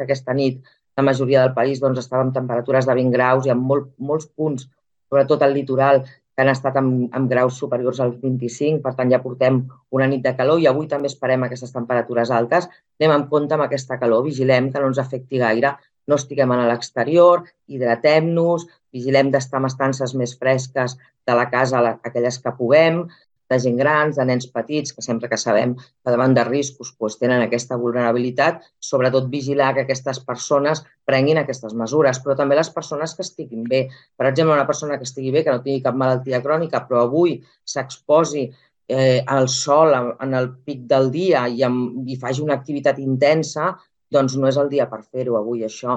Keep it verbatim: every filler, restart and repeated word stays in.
que aquesta nit la majoria del país doncs, estava amb temperatures de vint graus i amb molt, molts punts, sobretot al litoral, que han estat amb, amb graus superiors als vint-i-cinc, per tant ja portem una nit de calor i avui també esperem aquestes temperatures altes. Anem amb compte amb aquesta calor, vigilem que no ens afecti gaire, no estiguem a l'exterior, hidratem-nos, vigilem d'estar en estances més fresques de la casa, aquelles que puguem, de gent grans, de nens petits, que sempre que sabem que davant de riscos doncs, tenen aquesta vulnerabilitat, sobretot vigilar que aquestes persones prenguin aquestes mesures, però també les persones que estiguin bé. Per exemple, una persona que estigui bé, que no tingui cap malaltia crònica, però avui s'exposi eh, al sol en el pic del dia i, amb, i faci una activitat intensa, doncs no és el dia per fer-ho avui, això.